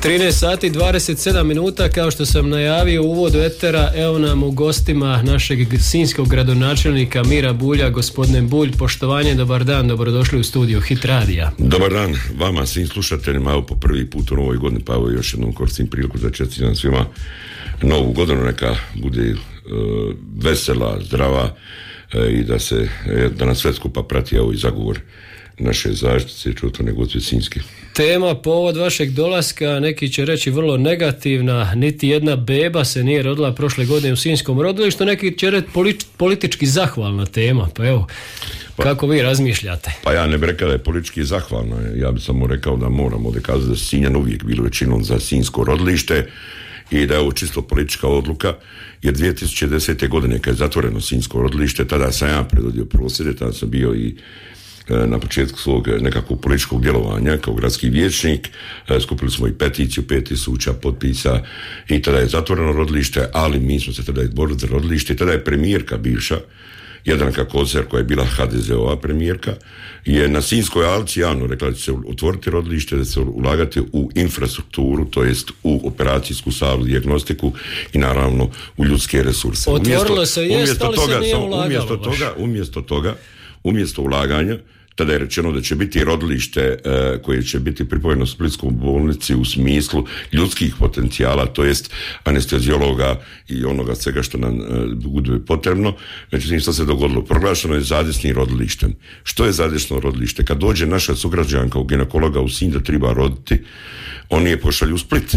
13 sati i 27 minuta, kao što sam najavio u uvodu etera, evo nam u gostima našeg sinjskog gradonačelnika Mira Bulja. Gospodine Bulj, poštovanje, dobar dan, dobrodošli u studiju Hit Radija. Dobar dan vama, svim slušateljima, evo po prvi put u novoj godini, pa evo još jednom koristim priliku da čestitam svima novu godinu, neka bude vesela, zdrava i da nas sve skupa prati evo i zagovor naše zaštite čutvane Gospe Sinjske. Tema povod vašeg dolaska, neki će reći vrlo negativna, niti jedna beba se nije rodila prošle godine u Sinjskom rodilištu, neki će reći politički zahvalna tema, pa evo, kako vi razmišljate? Pa ja ne bih rekao da je politički zahvalna, ja bih samo rekao da moramo ovdje kazati da Sinjan uvijek bilo većinom za Sinjsko rodilište i da je ovo čisto politička odluka, jer 2010. godine kad je zatvoreno Sinjsko rodilište, tada sam ja predvodio prosvjede, tada sam bio i na početku svog nekakvog političkog djelovanja kao gradski vijećnik. Skupili smo i peticiju 5.000 potpisa i tada je zatvoreno rodilište, ali mi smo se tada izborili za rodilište i tada je premijerka bivša Jadranka Kosor, koja je bila HDZ-ova premijerka, je na Sinjskoj alci javno rekla da će se otvoriti rodilište, da će se ulagati u infrastrukturu, to jest u operacijsku salu, dijagnostiku i naravno u ljudske resurse. Otvorilo se jest, ali se nije ulagalo. Umjesto ulaganja, tada je rečeno da će biti rodilište koje će biti pripojeno Splitskoj bolnici u smislu ljudskih potencijala, to jest anestezijologa i onoga svega što nam bude potrebno. Međutim, što se dogodilo? Proglašeno je zadesnim rodilištem. Što je zadesno rodilište? Kad dođe naša sugrađanka u ginekologa u Sinj da treba roditi, oni je pošalju u Split.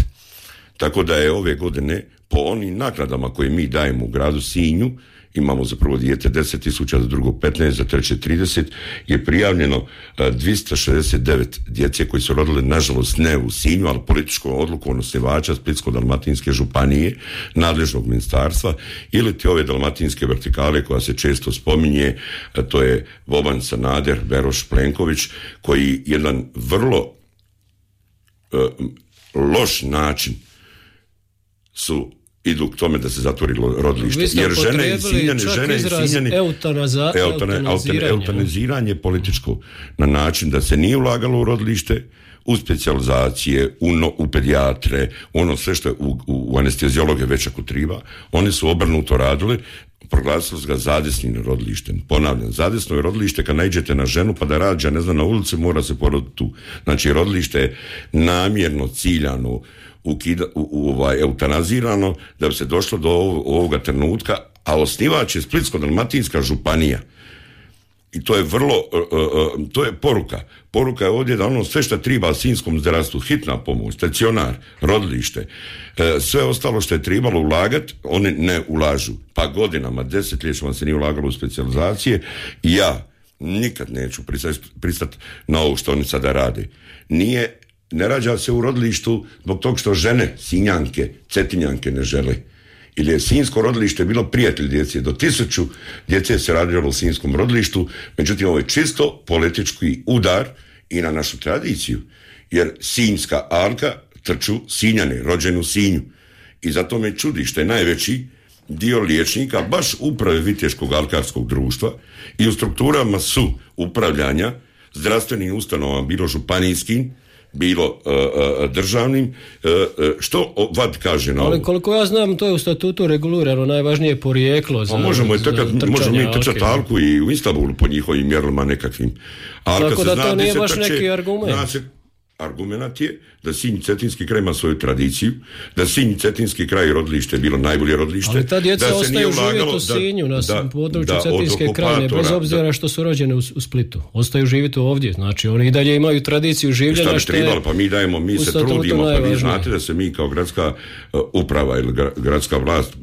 Tako da je ove godine po onim naknadama koje mi dajemo u gradu Sinju, imamo za prvo dijete 10.000, za drugo 15, za treće 30, je prijavljeno 269 djece koji su rodili, nažalost ne u Sinju, ali političkom odlukom osnivača Splitsko-dalmatinske županije, nadležnog ministarstva, ili ti ove dalmatinske vertikale koja se često spominje, to je Boban, Sanader, Beroš, Plenković, koji jedan vrlo loš način idu k tome da se zatvori rodilište. Jer žene i Sinjani eutanaziranje političko na način da se nije ulagalo u rodilište, u specijalizacije, u pedijatre, ono sve što je u anestezijologe već ako treba, oni su obrnuto radili, proglasili su ga zadesnim rodilištem. Ponavljam, zadesno je rodilište kad naiđete na ženu pa da rađa, ne znam, na ulici, mora se poroditi tu. Znači, rodilište je namjerno, ciljano, eutanazirano da bi se došlo do ovoga trenutka, a osnivač je Splitsko-dalmatinska županija. I to je to je poruka. Poruka je ovdje da ono sve što treba sinjskom zdravstvu, hitna pomoć, stacionar, rodilište, sve ostalo što je trebalo ulagati, oni ne ulažu. Pa godinama, desetljećima se nije ulagalo u specijalizacije i ja nikad neću pristati na ovo što oni sada rade. Ne rađa se u rodilištu zbog tog što žene, Sinjanke, Cetinjanke ne žele. Ili je Sinjsko rodilište bilo prijatelj djece. Do 1000 djece se radilo u Sinjskom rodilištu, međutim ovo je čisto politički udar i na našu tradiciju. Jer Sinjska alka trču Sinjane, rođeni u Sinju. I zato me čudi što je najveći dio liječnika baš uprave Viteškog alkarskog društva i u strukturama su upravljanja zdravstvenim ustanovama, bilo županijskim, bilo državnim, što VAD kaže na ovo? Ali koliko ja znam, to je u statutu regulirano, najvažnije porijeklo. Možemo mi trčati alku i u Istanbulu po njihovim mjerilima nekakvim. Tako da to nije baš neki argument. Argument je da Sinj Cetinski kraj ima svoju tradiciju, da Sinj Cetinski kraj rodilište je bilo najbolje rodilište. Ali ta djeca ostaju živjeti u Sinju, na području Cetinske krajine, bez obzira što su rođene u Splitu. Ostaju živjeti ovdje, znači oni i dalje imaju tradiciju življenja. Šta bi trebalo, pa mi se trudimo, pa vi znate da se mi kao gradska uprava ili gradska vlast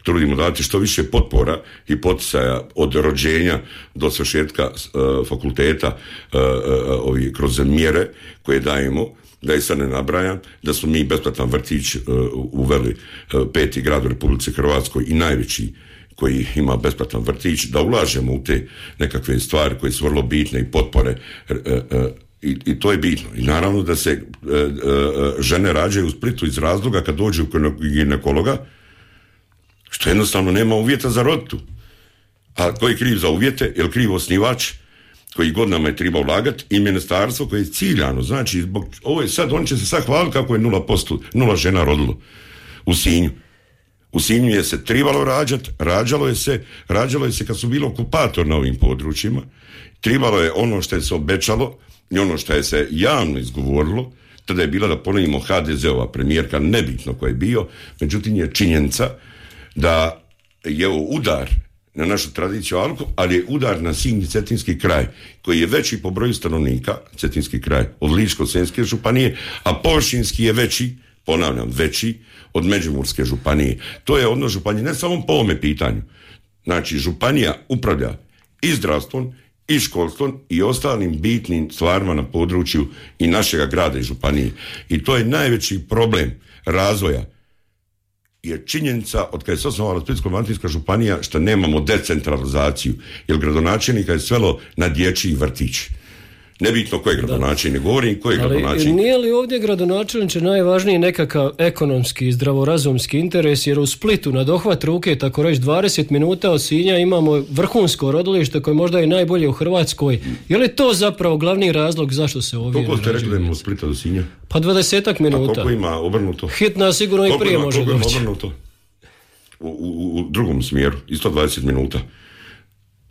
trudimo dati što više potpora i poticaja od rođenja do svršetka fakulteta kroz mjere koje dajemo, da je sad ne nabrajam, da smo mi besplatan vrtić uveli 5. grad u Republici Hrvatskoj i najveći koji ima besplatan vrtić, da ulažemo u te nekakve stvari koje su vrlo bitne i potpore i to je bitno. I naravno da se žene rađaju u Splitu iz razloga kad dođu kod ginekologa, što jednostavno nema uvjeta za roditu. A ko je kriv za uvjete? Je li kriv osnivač? koji godinama je treba ulagati i ministarstvo koje je ciljano, znači zbog ovo je sad, oni će se sad hvaliti kako je 0 žena rodilo u Sinju. U Sinju je se trebalo rađati, rađalo je se kad su bili okupator na ovim područjima, trebalo je ono što je se obećalo i ono što je se javno izgovorilo, tada je bila, da ponovimo, HDZ-ova premijerka, nebitno ko je bio, međutim je činjenica da je ovo udar na našu tradiciju alku, ali je udar na Sinj i Cetinski kraj, koji je veći po broju stanovnika, Cetinski kraj, od Ličko-senjske županije, a površinski je veći, ponavljam, veći od Međimurske županije. To je odnos županije, ne samo po ovome pitanju. Znači, županija upravlja i zdravstvom, i školstvom i ostalim bitnim stvarima na području i našega grada i županije. I to je najveći problem razvoja. Je činjenica od kada je se osnovala Splitsko-dalmatinska županija što nemamo decentralizaciju, jer gradonačelnika je svelo na dječji vrtić. Nebitno ko je gradonačelnik, govorim ko je gradonačelnik. Ali nije li ovdje gradonačelniče najvažniji nekakav ekonomski, zdravorazumski interes, jer u Splitu na dohvat ruke, tako reći 20 minuta od Sinja, imamo vrhunsko rodilište koje možda je najbolje u Hrvatskoj. Je li to zapravo glavni razlog zašto se ovdje ne rađuje? Koliko ste rekli da imamo Splita do Sinja? Pa 20 minuta. A koliko ima obrnuto? Hitna sigurno i prije može doći. Koliko ima obrnuto? U drugom smjeru, isto 20 minuta.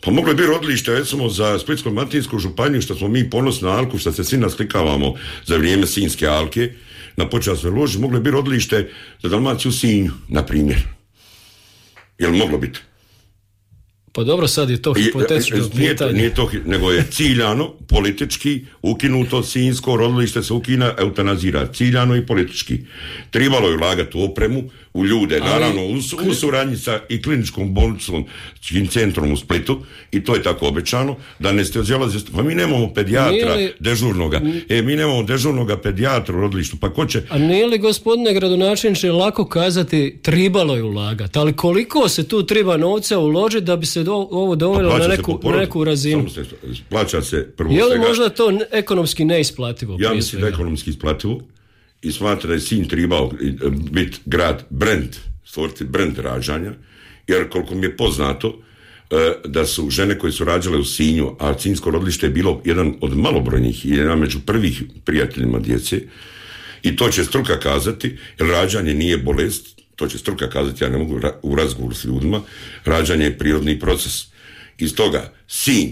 Pa moglo je biti rodilište, recimo, za Splitsko-dalmatinsku županiju, što smo mi ponosni na alku, što se svi naslikavamo za vrijeme Sinjske alke, na počasnoj loži, moglo je biti rodilište za Dalmaciju u Sinju, na primjer. Je li moglo biti? Pa dobro, sad je to hipotetično pitanje. Nije to, nego je ciljano, politički, ukinuto Sinjsko rodilište se ukina, eutanazira, ciljano i politički. Trebalo je ulagati u opremu, u ljude, naravno u suradnji sa i kliničkom bolnicom, centrom u Splitu, i to je tako obećano, da anesteziolozi, pa mi nemamo pedijatra dežurnoga. Mi nemamo dežurnoga pedijatra u rodilištu, pa ko će... A nije li, gospodine gradonačelniče, lako kazati tribalo je ulagati, ali koliko se tu treba novca uložiti da bi se ovo dovelo na neku razinu? Plaća se prvo svega. Je li svega, možda to ekonomski neisplativo? Ja mislim da je ekonomski isplativo i smatra da je Sinj trebao biti grad brand, stvoriti brand rađanja, jer koliko mi je poznato da su žene koje su rađale u Sinju, a Sinjsko rodilište je bilo jedan od malobrojnih i jedan među prvih prijateljima djece, i to će struka kazati, jer rađanje nije bolest, to će struka kazati, ja ne mogu u razgovoru s ljudima, rađanje je prirodni proces. Iz toga Sinj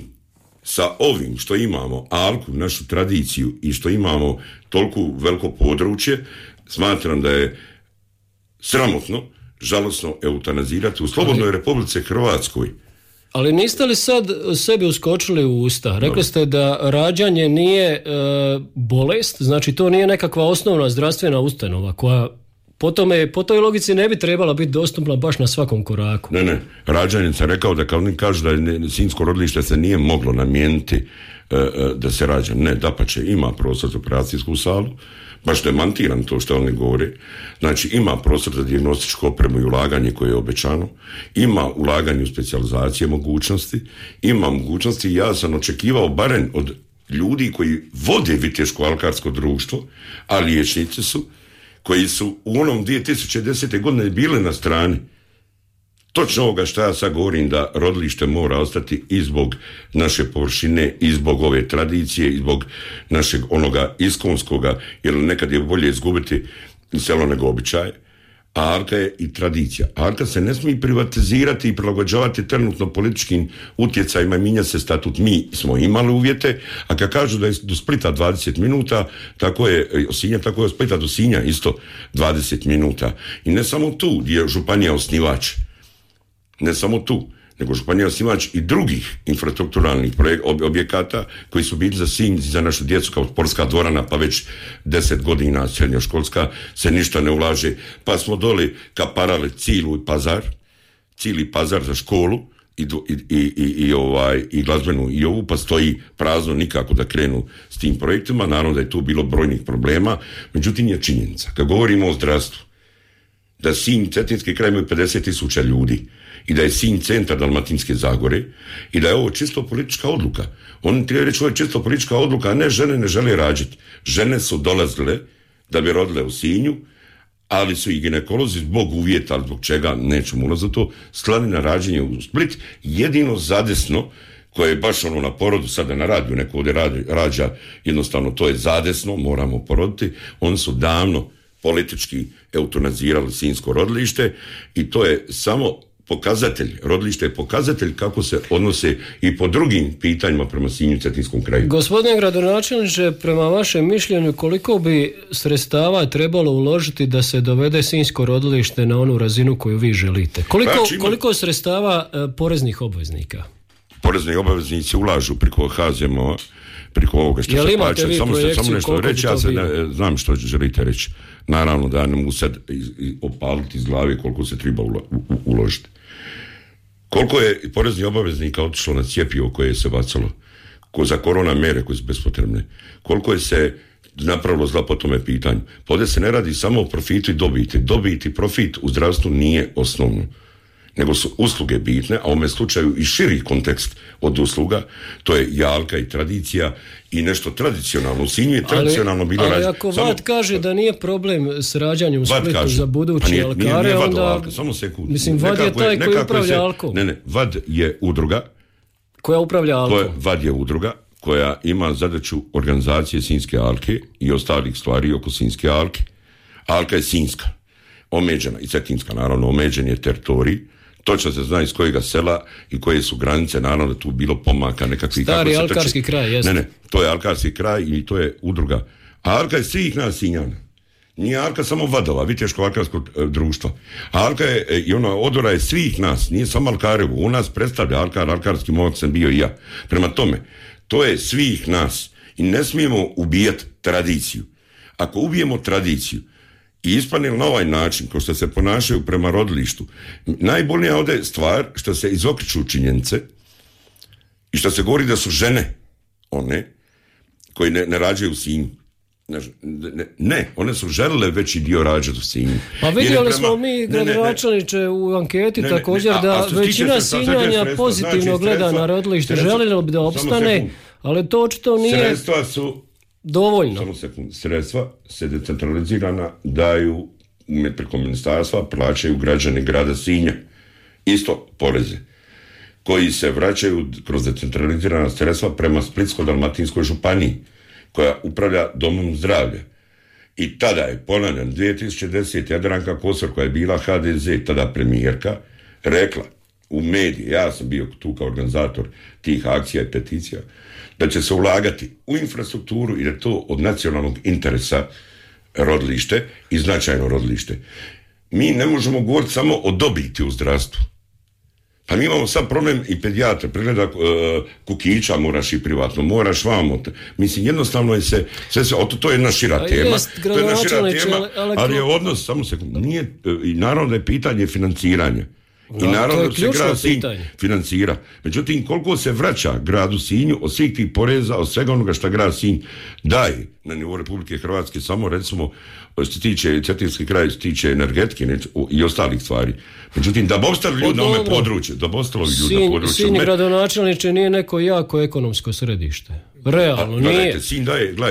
sa ovim što imamo, alku, našu tradiciju, i što imamo toliko veliko područje, smatram da je sramotno, žalosno eutanazirati u slobodnoj Republici Hrvatskoj. Ali niste li sad sebi uskočili u usta? Rekli ste da rađanje nije bolest, znači to nije nekakva osnovna zdravstvena ustanova koja po toj logici ne bi trebala biti dostupna baš na svakom koraku. Ne, rađanje sam rekao da kao oni kažu da Sinjsko rodilište se nije moglo namijeniti da se rađa. Ne, dapače, ima prostor za operacijsku salu, baš demantiram to što oni govore. Znači, ima prostor za dijagnostičku opremu i ulaganje koje je obećano, ima ulaganje u specijalizacije mogućnosti, ima mogućnosti, ja sam očekivao barem od ljudi koji vode Viteško-alkarsko društvo, a liječnici su, koji su u onom 2010. godine bili na strani točno ovoga što ja sad govorim, da rodilište mora ostati i zbog naše površine, i zbog ove tradicije, i zbog našeg onoga iskonskoga, jer nekad je bolje izgubiti selo nego običaj. A alka je i tradicija. Alka se ne smije privatizirati i prilagođavati trenutno političkim utjecajima, mijenja se statut. Mi smo imali uvjete, a kad kažu da je do Splita 20 minuta, tako je od Sinja, tako je od Splita do Sinja isto 20 minuta. I ne samo tu gdje je županija osnivač, ne samo tu, nego županija osnivač i drugih infrastrukturalnih objekata koji su bili za Sinj, za našu djecu, kao sportska dvorana, pa već 10 godina srednjoškolska se ništa ne ulaže, pa smo doli kaparali cijeli pazar za školu i glazbenu i ovu, pa stoji prazno, nikako da krenu s tim projektima. Naravno da je tu bilo brojnih problema, međutim je činjenica, kad govorimo o zdravstvu, da Sinj, Cetinski kraj imaju 50.000 ljudi i da je Sinj centar Dalmatinske Zagore i da je ovo čisto politička odluka. Oni treba reći, ovo je čisto politička odluka, a ne žene ne žele rađati. Žene su dolazile da bi rodile u Sinju, ali su i ginekolozi zbog uvjeta, zbog čega, nećemo ulaziti u to, slani na rađenje u Split, jedino zadesno koje je baš ono na porodu, sada na radiju, neko ovdje rađa, jednostavno to je zadesno, moramo poroditi, oni su davno politički eutanazirali sinjsko rodilište i to je samo pokazatelj, rodilište je pokazatelj kako se odnose i po drugim pitanjima prema Sinju i Cetinskom kraju. Gospodine gradonačelniče, prema vašem mišljenju koliko bi sredstava trebalo uložiti da se dovede sinjsko rodilište na onu razinu koju vi želite? Koliko sredstava poreznih obveznika? Porezni obveznici ulažu preko HZMO, preko ovoga što se plaća. Samo nešto reći, ja znam što želite reći. Naravno da ne mogu sad opaliti iz glave koliko se treba uložiti. Koliko je poreznih obaveznika otišlo na cjepivo koje se bacalo, za korona mjere koje su bespotrebne, koliko je se napravilo zla po tome pitanju. Pa ovdje se ne radi samo o profitu i dobiti. Dobiti i profit u zdravstvu nije osnovno, nego su usluge bitne, a u ovom slučaju i širi kontekst od usluga, to je jalka i tradicija i nešto tradicionalno. U Sinju je tradicionalno bilo rađeno. Ali ako VAD kaže da nije problem s rađanjem u Splitu za budući alkare, nije onda... Samo sekund. Mislim, VAD je taj koji upravlja alkom. Ne, VAD je udruga. Koja upravlja alkom. VAD je udruga koja ima zadaću organizacije Sinjske alke i ostalih stvari oko Sinjske alke. Alka je Sinjska, omeđena, i Cetinska, naravno, omeđen je teritorij. Točno se zna iz kojega sela i koje su granice, naravno da tu bilo pomaka nekakvih... Stari alkarski kraj, jeste. Ne, to je alkarski kraj i to je udruga. A alka je svih nas Sinjana. Nije alka samo Vadova, Viteško-alkarskog društva. A alka je, i ona odora je svih nas, nije samo Alkarevo. U nas predstavlja alkarski momak sam bio i ja. Prema tome, to je svih nas. I ne smijemo ubijati tradiciju. Ako ubijemo tradiciju, i ispanili na ovaj način, ko što se ponašaju prema rodilištu, najbolnija ovdje je stvar što se izokriču činjenice i što se govori da su žene one koji ne rađaju u Sinju. Ne, one su želile veći dio rađati u Sinju. Pa vidjeli smo mi, gradonačelniče, u anketi također da većina Sinjanja pozitivno gleda na rodilište, želilo bi da opstane, ali to očito nije... Sredstva su dovoljno. Samo sekund. Sredstva se decentralizirana daju preko ministarstva, plaćaju građani grada Sinja. Isto poreze koji se vraćaju kroz decentralizirana sredstva prema Splitsko-dalmatinskoj županiji koja upravlja domom zdravlja. I tada je, ponavljam, 2010. Jadranka Kosor, koja je bila HDZ, tada premijerka, rekla u mediji, ja sam bio tu kao organizator tih akcija i peticija, da će se ulagati u infrastrukturu i da je to od nacionalnog interesa rodilište i značajno rodilište. Mi ne možemo govoriti samo o dobiti u zdravstvu. Pa mi imamo sad problem i pedijatra, pregleda kukića moraš i privatno, moraš vamo. Mislim, jednostavno je sve to je jedna šira tema. To je jedna šira tema, ali je odnos, samo sekund, nije, i naravno da je pitanje financiranja. I naravno da se grad Sinj financira. Međutim, koliko se vraća gradu Sinju od svih tih poreza, od svega onoga što grad Sinj daje na nivou Republike Hrvatske, samo recimo što se tiče Cetinski kraj, što se tiče energetike i ostalih stvari. Međutim, da bi ostali ljudi na ovome području, da bi ostali ljudi na području... Sinj gradonačelniče nije neko jako ekonomsko središte. Realno, nije.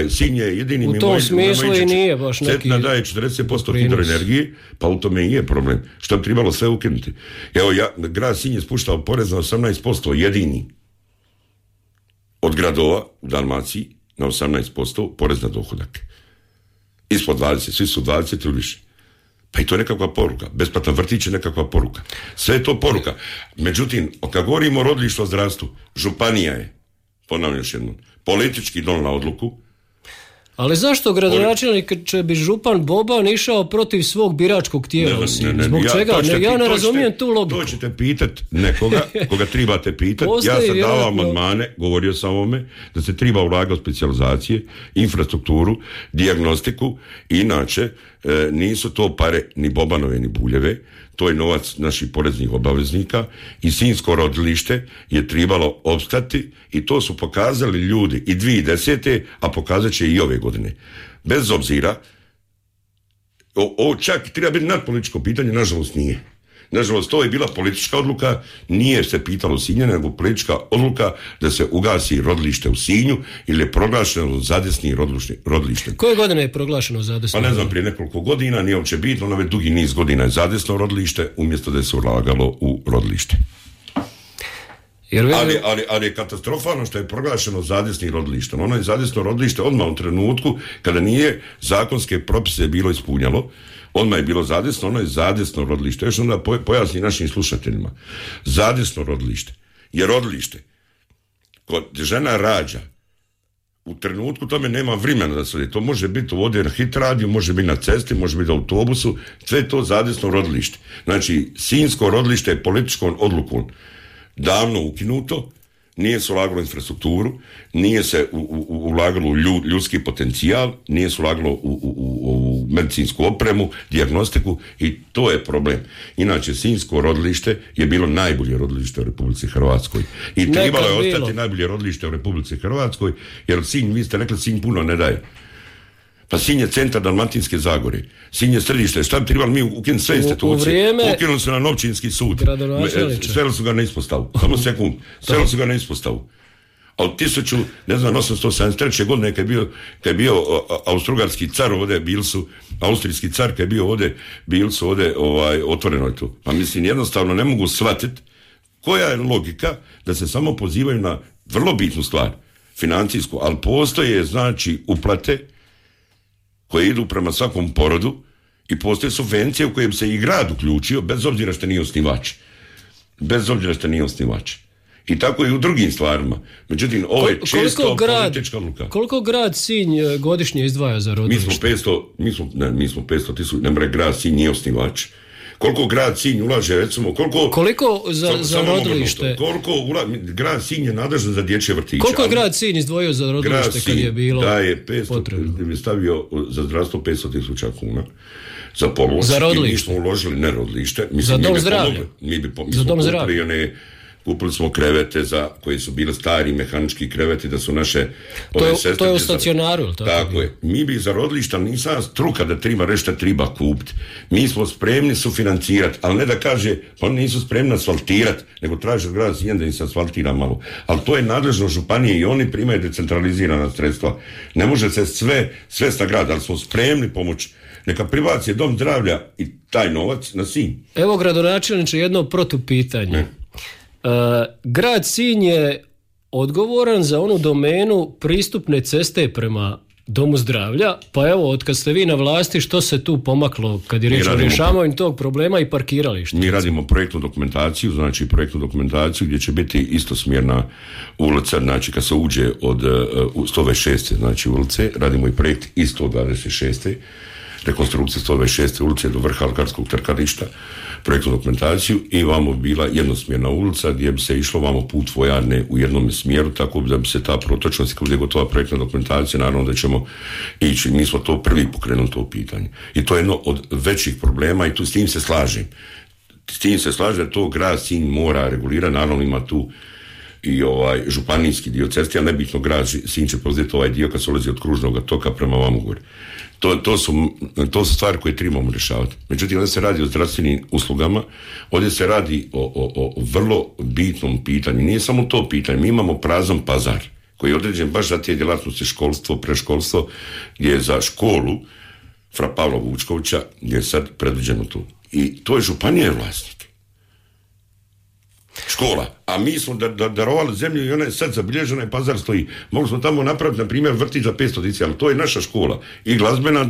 Sinj je jedini... U tom smislu i nije baš neki... Cetina daje 40% hidroenergije, pa u tome i je problem. Što bi trebalo sve ukinuti. Evo, grad Sinj je spuštao porez na 18%, jedini od gradova u Dalmaciji na 18% porez na dohodak. Ispod 20, svi su 20 ili više. Pa i to je nekakva poruka. Besplatan vrtić je nekakva poruka. Sve je to poruka. Međutim, kad govorimo o rodilištu o zdravstvu, županija je, ponavljam još jednom, politički donijela odluku. Ali zašto gradonačelnik će bi župan Boban išao protiv svog biračkog tijela? Zbog čega? Ja ne razumijem tu logiku. To ćete pitati nekoga, koga trebate pitati. Ja sam dao amandmane, govorio sam o ovome, da se treba ulagati u specijalizacije, infrastrukturu, dijagnostiku. Inače, nisu to pare ni Bobanove ni Buljeve, to je novac naših poreznih obaveznika i Sinjsko rodilište je trebalo opstati i to su pokazali ljudi i 2010. a pokazat će i ove godine. Bez obzira, ovo čak treba biti nadpolitičko pitanje, nažalost nije. Nažalost, to je bila politička odluka, nije se pitalo Sinjane, nego politička odluka da se ugasi rodilište u Sinju ili je proglašeno zadesni rodilište. Koje godine je proglašeno zadesno? Pa ne znam, prije nekoliko godina, nije uopće bitno, ono već dugi niz godina je zadesno rodilište, umjesto da se ulagalo u rodilište. Ali je katastrofalno što je proglašeno zadesnim rodilištem. Ono je zadesno rodilište odmah u trenutku kada nije zakonske propise bilo ispunjalo. Odmah je bilo zadesno, ono je zadesno rodilište. Još onda pojasni našim slušateljima. Zadesno rodilište je rodilište kod žena rađa. U trenutku tome nema vremena da se ode. To može biti ovdje na hit radiju, može biti na cesti, može biti na autobusu. Sve je to zadesno rodilište. Znači, Sinjsko rodilište je političkom odlukom davno ukinuto, nije se ulagalo u infrastrukturu, nije se ulagalo u ljudski potencijal, nije se ulagalo u medicinsku opremu, dijagnostiku i to je problem. Inače, Sinjsko rodilište je bilo najbolje rodilište u Republici Hrvatskoj. I trebalo je ostati najbolje rodilište u Republici Hrvatskoj, jer Sinj, vi ste rekli, Sinj puno ne daje. Pa Sinj je centar Dalmatinske Zagore. Sinj je središte. Šta bi trebali mi ukinuti sve institucije? Ukinuli su nam općinski sud. Sveli su ga na ispostavu. Samo sekund. Sveli su ga na ispostavu. A od 1873. godine kad je bio austrougarski car ovdje, austrijski car kad je bio ovdje, bili su ovdje otvoreno je to. Pa mislim, jednostavno ne mogu shvatiti koja je logika da se samo pozivaju na vrlo bitnu stvar, financijsku, ali postoje znači uplate koje idu prema svakom porodu i postoje subvencije u kojem se i grad uključio, bez obzira što nije osnivač. Bez obzira što nije osnivač. I tako i u drugim stvarima. Međutim, ovo je čisto politička odluka. Koliko grad Sinj godišnje izdvaja za rodilište? Mi smo 500 tisuća, ne mre grad Sinj nije osnivač. Koliko grad Sinj ulaže, recimo, koliko za rodilište? Grad Sinj je nadležan za dječje vrtiće. Koliko je grad Sinj izdvojio za rodilište kad je bilo potrebno? Da je stavio za zdravstvo 500 tisuća kuna. Za pomoć. Za rodilište? Mi smo uložili ne rodilište. Za dom zdravlja? Za dom zdravlja. Kupili smo krevete koji su bili stari mehanički kreveti da su naše sestre. To je u stacionaru, tako je. Mi bi za rodilišta nisam struka da treba reći šta treba kupiti. Mi smo spremni sufinancirati, ali ne da kaže pa oni nisu spremni asfaltirati, nego traže od grada Sinja da im se asfaltira malo. Ali to je nadležno županije i oni primaju decentralizirana sredstva. Ne može se sve na grad, ali smo spremni pomoći. Neka pribaci dom zdravlja i taj novac na Sinj. Evo, gradonačelniče, jedno protupitanje. Grad Sinj je odgovoran za onu domenu pristupne ceste prema domu zdravlja, pa evo, od kad ste vi na vlasti, što se tu pomaklo kad je riječ o rješavanju tog problema i parkirališta? Mi radimo projektnu dokumentaciju gdje će biti istosmjerna ulica, znači kad se uđe od 126. znači ulice, radimo i projekt i 126. rekonstrukcije 126. ulice do vrha alkarskog trkališta, projektnu dokumentaciju i vamo bila jednosmjerna ulica gdje bi se išlo vamo put vojarne u jednom smjeru, tako da bi se ta protočnost, kada je gotova projektna dokumentacija, naravno da ćemo ići. Mi smo to prvi pokrenuli to pitanje. I to je jedno od većih problema i tu s tim se slažem. S tim se slažem da to grad Sinj mora regulirati, naravno ima tu i županijski dio ceste, a nebitno grad Sinj će preuzeti ovaj dio kad se ulazi od Kružnog toka prema vamo gore. To su stvari koje trebamo rješavati. Međutim, ovdje se radi o zdravstvenim uslugama, ovdje se radi o vrlo bitnom pitanju. Nije samo to pitanje, mi imamo prazan pazar koji je određen baš za te djelatnosti školstvo, preškolstvo, gdje je za školu Fra Pavla Vučkovića gdje je sad predviđeno to. I to je županija vlasnik. Škola. A mi smo darovali zemlju i ona je sad zabilježena i pazar stoji. Mogli smo tamo napraviti, na primjer, vrtić za 500 djece, ali to je naša škola. I glazbena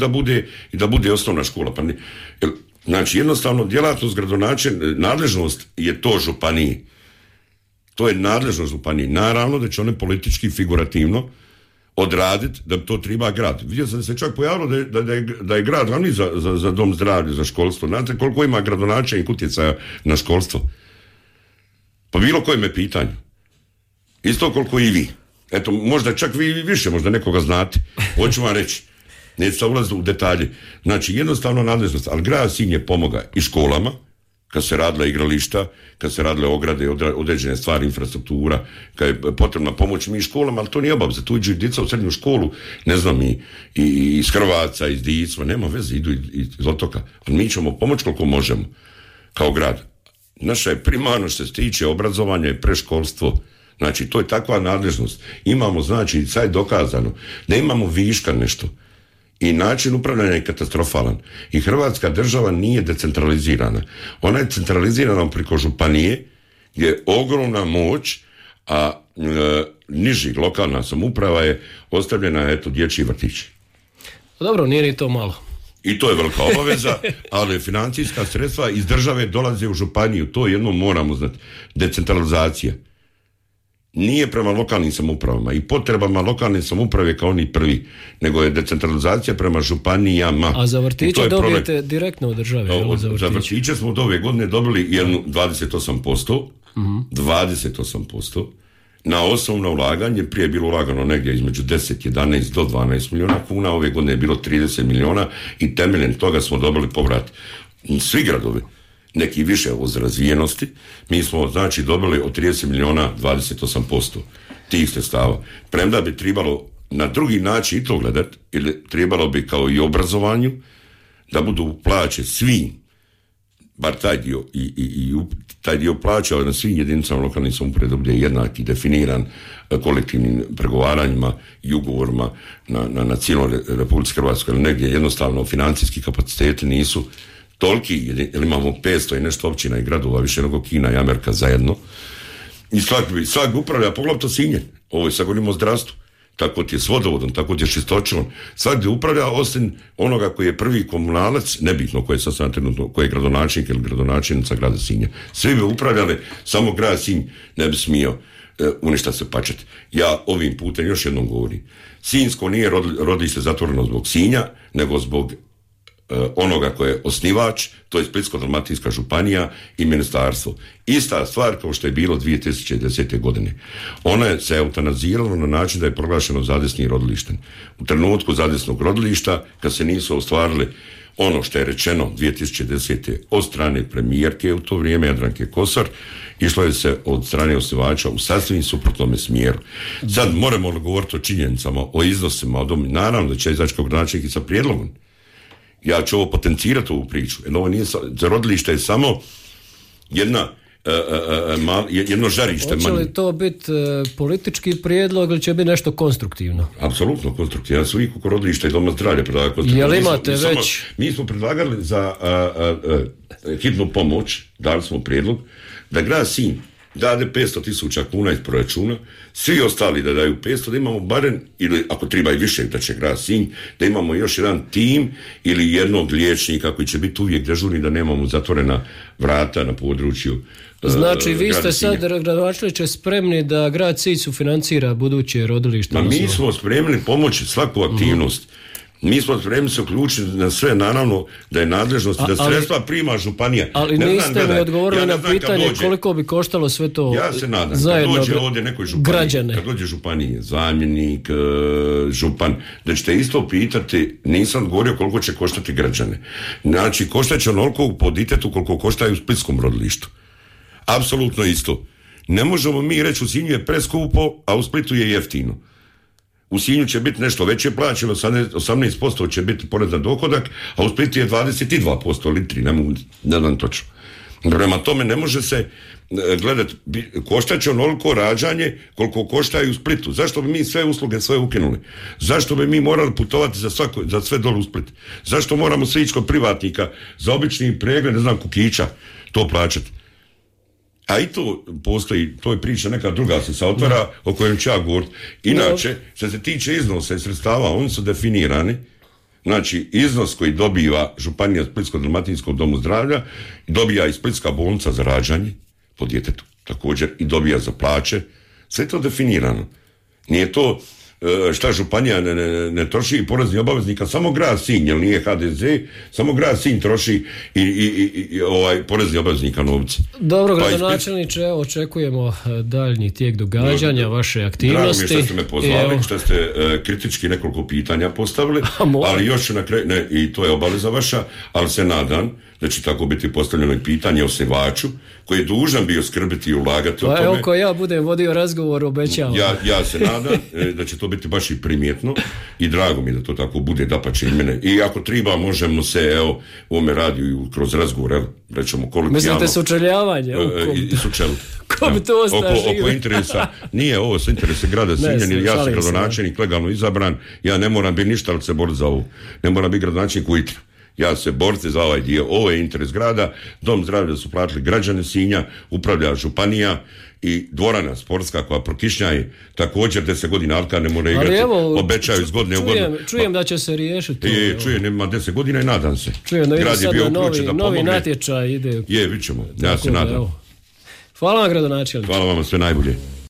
da bude osnovna škola. Pa znači, jednostavno, djelatnost nadležnost je to županiji. To je nadležnost županiji. Naravno da će one politički, figurativno odraditi da to treba grad. Vidio sam da se čak pojavilo da je grad glavni za dom zdravlja, za školstvo. Znate koliko ima gradonačelnik utjecaja na školstvo? Po bilo kojem je pitanju. Isto koliko i vi. Eto, možda čak vi više, možda nekoga znate. Hoću vam reći. Neću se ulaziti u detalje. Znači, jednostavno nadležnost. Ali grad Sinj je pomoga i školama, kad se radila igrališta, kad se radile ograde, određene stvari, infrastruktura, kad je potrebna pomoć mi školama, ali to nije obaveza. Tu iđu djeca u srednju školu, ne znam, i iz Hrvaca, iz Dicma, nema veze, idu iz otoka. Ali mi ćemo pomoći koliko možemo, kao grad. Naša je primarno što se tiče obrazovanja i preškolstvo. Znači, to je takva nadležnost. Imamo, znači, sad je dokazano da imamo viška nešto. I način upravljanja je katastrofalan. I Hrvatska država nije decentralizirana. Ona je centralizirana preko županije, gdje je ogromna moć a niži lokalna samouprava je ostavljena dječji vrtić. Dobro, nije ni to malo. I to je velika obaveza, ali financijska sredstva iz države dolaze u županiju, to jedno moramo znati. Decentralizacija nije prema lokalnim samoupravama i potrebama lokalne samouprave kao oni prvi, nego je decentralizacija prema županijama. A za vrtiće dobijete direktno od države? Za vrtiće smo od ove godine dobili 28%, 28%, na osnovno ulaganje, prije je bilo ulagano negdje između 10, 11 do 12 milijuna kuna, ove godine je bilo 30 milijuna i temeljem toga smo dobili povrat. Svi gradovi, neki više od razvijenosti, mi smo znači dobili od 30 milijuna 28% tih sredstava. Premda bi trebalo na drugi način i to gledati, ili trebalo bi kao i obrazovanju da budu plaće svim, bar taj dio i taj dio plaća na svim jedinicama lokalnih samouprave da bude jednaki, definiran kolektivnim pregovaranjima i ugovorima na cijeloj Republici Hrvatskoj, ali negdje jednostavno financijski kapaciteti nisu toliki, jer imamo 500 i nešto općina i gradova, više nego Kina i Amerika zajedno. I svak upravlja, poglavito Sinje, ovo je sad govorimo o zdravstvu, tako ti je s vodovodom, tako ti je čistoćom, svakdje upravlja osim onoga koji je prvi komunalac, nebitno koji je sad trenutno, koji je gradonačelnik ili gradonačelnica grada Sinja. Svi bi upravljali, samo grad Sinj ne bi smio uništa se pačet. Ja ovim putem još jednom govorim, Sinjsko nije rodište zatvoreno zbog Sinja, nego zbog onoga koje je osnivač, to je Splitsko-dalmatinska županija i ministarstvo. Ista stvar kao što je bilo 2010. godine. Ona je se eutanazirala na način da je proglašeno zadesnim rodilištem. U trenutku zadesnog rodilišta, kad se nisu ostvarili ono što je rečeno 2010. od strane premijerke u to vrijeme, Jadranke Kosor, išlo je se od strane osnivača u sasvim suprotnom smjeru. Sad moramo govoriti o činjenicama, o iznosima, naravno da će izaći kao gradonačelnik i sa prijedlogom. Ja ću ovo potencirati ovu priču. Jer ovo nije, za rodilište je samo jedno žarište. Hoće li to biti politički prijedlog ili će biti nešto konstruktivno? Apsolutno konstruktivno. Ja sam uvijek oko rodilišta i doma zdravlja predlagao. Jel imate već? Mi smo predlagali za hitnu pomoć, dali smo prijedlog, da grad Sinj dade 500.000 kuna iz proračuna, svi ostali da daju 500, da imamo barem, ili ako treba i više da će grad Sinj, da imamo još jedan tim ili jednog liječnika koji će biti uvijek dežurni, da nemamo zatvorena vrata na području. Znači vi ste sad, gradonačelniče, spremni da grad Sinj sufinancira buduće rodilište? Mi smo spremni pomoći svaku aktivnost. Mi smo spremni se uključiti na sve, naravno da je nadležnost da sredstva prima županija. Ali niste mi odgovorili na pitanje koliko bi koštalo sve to. Ja se nadam, kad dođe ovdje nekoj županiji, kad dođe županije, zamjenik, župan, da ćete isto pitati, nisam govorio koliko će koštati građane. Znači, koštat će onoliko po ditetu koliko koštaju u splitskom rodilištu. Apsolutno isto. Ne možemo mi reći u Sinju je preskupo, a u Splitu je jeftino. U Sinju će biti nešto veće plaće, 18% će biti porez na dohodak, a u Splitu je 22% litri, ne znam točno. Prema tome ne može se gledati, koštat će onoliko rađanje koliko koštaju u Splitu. Zašto bi mi sve usluge sve ukinuli? Zašto bi mi morali putovati za sve dole u Split? Zašto moramo sve ići kod privatnika za obični pregled, ne znam, kukića, to plaćati? A i to postoji, to je priča neka druga se otvara o kojem ću ja govoriti. Inače, što se tiče iznosa i sredstava, oni su definirani. Znači, iznos koji dobiva županija Splitsko-dalmatinskog domu zdravlja, dobija i Splitska bolnica za rađanje po djetetu također i dobija za plaće. Sve je to definirano. Nije to šta županija ne troši porezni obaveznika, samo grad Sinj, jer nije HDZ, samo grad Sinj troši i porezni obaveznika novci. Dobro, gradonačelniče, evo očekujemo daljnji tijek događanja, vaše aktivnosti. Drago mi je što ste me pozvali, što ste kritički nekoliko pitanja postavili, ali još na kraju, i to je obaveza vaša, ali se nadam da će tako biti postavljeno i pitanje osnivaču, koji je dužan bio skrbiti i ulagati o tome. Evo, ko ja budem vodio razgovor, obećavam. Ja se nadam da će to biti baš i primjetno i drago mi da to tako bude, dapače i mene. I ako treba, možemo se, evo, u ovome radiju kroz razgovor, evo, rećemo kolokvijalno. Mislite sučeljavanje? I sučelu. Ko bi to ostao oko interesa, nije ovo sa interese grada Sinja, ja sam gradonačelnik legalno izabran, ja ne moram biti ništa, ali se boriti za ovo. Ne moram biti gradonačelnik u Itri. Ja se boriti za ovaj dio, ovo je interes grada, dom zdravlja su platili građani Sinja, upravlja županija i dvorana sportska koja prokišnjaje također 10 godina Alka ne mora igrati, obećaju iz godine u godinu. Čujem da će se riješiti. Čujem, ima 10 godina i nadam se. Čujem da ide sad na novi natječaj ide. Vidit ćemo, ja se nadam. Hvala vam, gradonačelniče. Hvala vam, sve najbolje.